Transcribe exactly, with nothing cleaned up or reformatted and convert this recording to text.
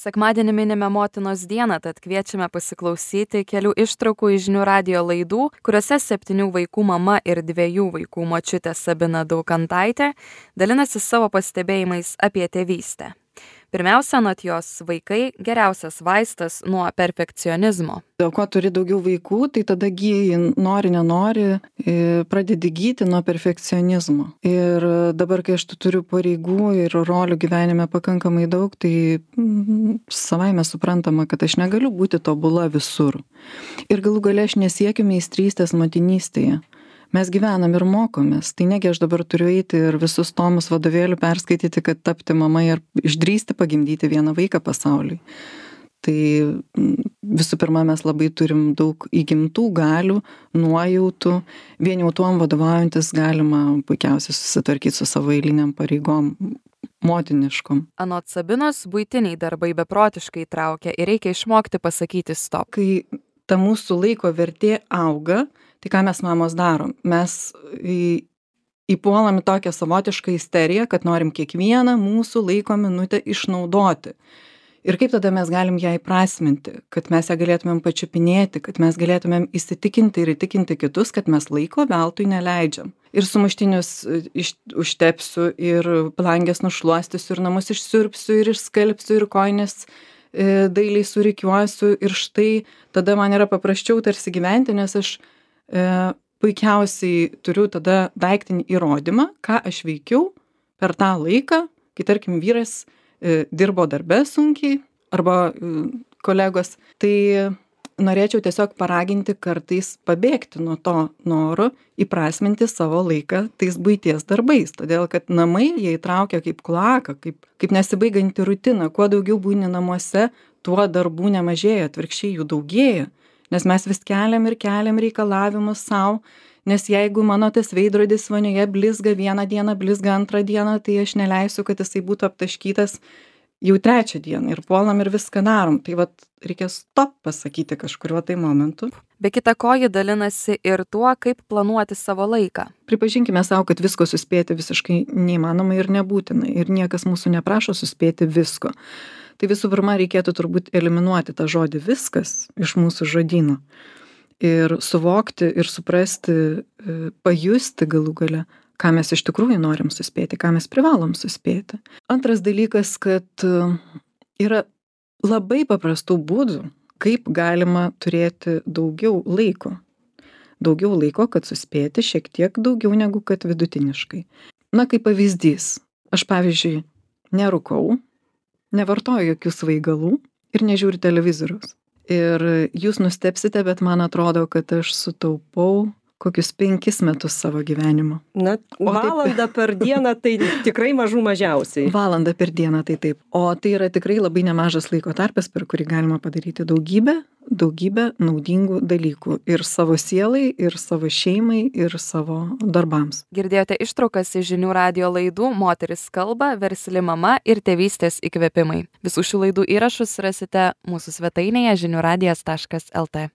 Sekmadienį minime motinos dieną, tad kviečiame pasiklausyti kelių ištraukų iš Žinių radijo laidų, kuriuose septynių vaikų mama ir dviejų vaikų močiutė Sabina Daukantaitė dalinasi savo pastebėjimais apie tėvystę. Pirmiausia, anot jos, vaikai geriausias vaistas nuo perfekcionizmo. O kuo turi daugiau vaikų, tai tada gyji, nori, nenori, pradedi gyti nuo perfekcionizmo. Ir dabar, kai aš turiu pareigų ir rolių gyvenime pakankamai daug, tai savaime suprantama, kad aš negaliu būti tobula visur. Ir galų gale aš nesiekiu meistrystės motinystėje. Mes gyvenam ir mokomės, tai negi aš dabar turiu eiti ir visus tomus vadovėlių perskaityti, kad tapti mama ir išdrįsti pagimdyti vieną vaiką pasauliui. Tai visų pirma, mes labai turim daug įgimtų galių, nuojautų, vien jau tuom vadovaujantis galima puikiausiai susitvarkyti su savo eiliniam pareigom motiniškom. Anot Sabinos, buitiniai darbai beprotiškai traukia ir reikia išmokti pasakyti stop. Kai ta mūsų laiko vertė auga, tai ką mes mamos darom? Mes į, įpuolam į tokią savotišką isteriją, kad norim kiekvieną mūsų laiko minutę išnaudoti. Ir kaip tada mes galim ją įprasminti, kad mes ją galėtumėm pačiupinėti, kad mes galėtumėm įsitikinti ir įtikinti kitus, kad mes laiko veltui neleidžiam. Ir sumuštinius iš, užtepsiu, ir plangės nušluostysiu, ir namus išsiurbsiu, ir išskalbsiu, ir kojines e, dailiai surikiuosiu. Ir štai tada man yra paprasčiau tarsi gyventi, nes aš e, puikiausiai turiu tada daiktinį įrodymą, ką aš veikiau per tą laiką, kai tarkim vyras dirbo darbe sunkiai arba kolegos, tai norėčiau tiesiog paraginti kartais pabėgti nuo to noro įprasminti savo laiką tais buities darbais, todėl kad namai jie įtraukia kaip kloaką, kaip, kaip nesibaiganti rutina. Kuo daugiau būni namuose, tuo darbų nemažėja, atvirkščiai jų daugėja, nes mes vis keliam ir keliam reikalavimus savo. Nes jeigu mano tas veidrodis vonioje blizga vieną dieną, blizga antrą dieną, tai aš neleisiu, kad jisai būtų aptaškytas jau trečią dieną ir puolam ir viską darom. Tai vat reikia stop pasakyti kažkuriuo tai momentu. Be kita ko, ji dalinasi ir tuo, kaip planuoti savo laiką. Pripažinkime savo, kad visko suspėti visiškai neįmanoma ir nebūtina. Ir niekas mūsų neprašo suspėti visko. Tai visų pirma, reikėtų turbūt eliminuoti tą žodį viskas iš mūsų žodyno. Ir suvokti ir suprasti, pajusti galų gale, ką mes iš tikrųjų norim suspėti, ką mes privalom suspėti. Antras dalykas, kad yra labai paprastų būdų, kaip galima turėti daugiau laiko. Daugiau laiko, kad suspėti šiek tiek daugiau negu kad vidutiniškai. Na, kaip pavyzdys, aš pavyzdžiui nerūkau, nevartoju jokių svaigalų ir nežiūriu televizoriaus. Ir jūs nustebsite, bet man atrodo, kad aš sutaupau kokius penkis metus savo gyvenimo. Na, valandą per dieną tai tikrai mažų mažiausiai. Valandą per dieną tai taip. O tai yra tikrai labai nemažas laiko tarpas, per kurį galima padaryti daugybę, daugybę naudingų dalykų. Ir savo sielai, ir savo šeimai, ir savo darbams. Girdėjote ištraukas iš Žinių radijo laidų Moteris kalba, Versli mama ir Tėvystės įkvėpimai. Visų šių laidų įrašus rasite mūsų svetainėje žinių radijas taškas lt.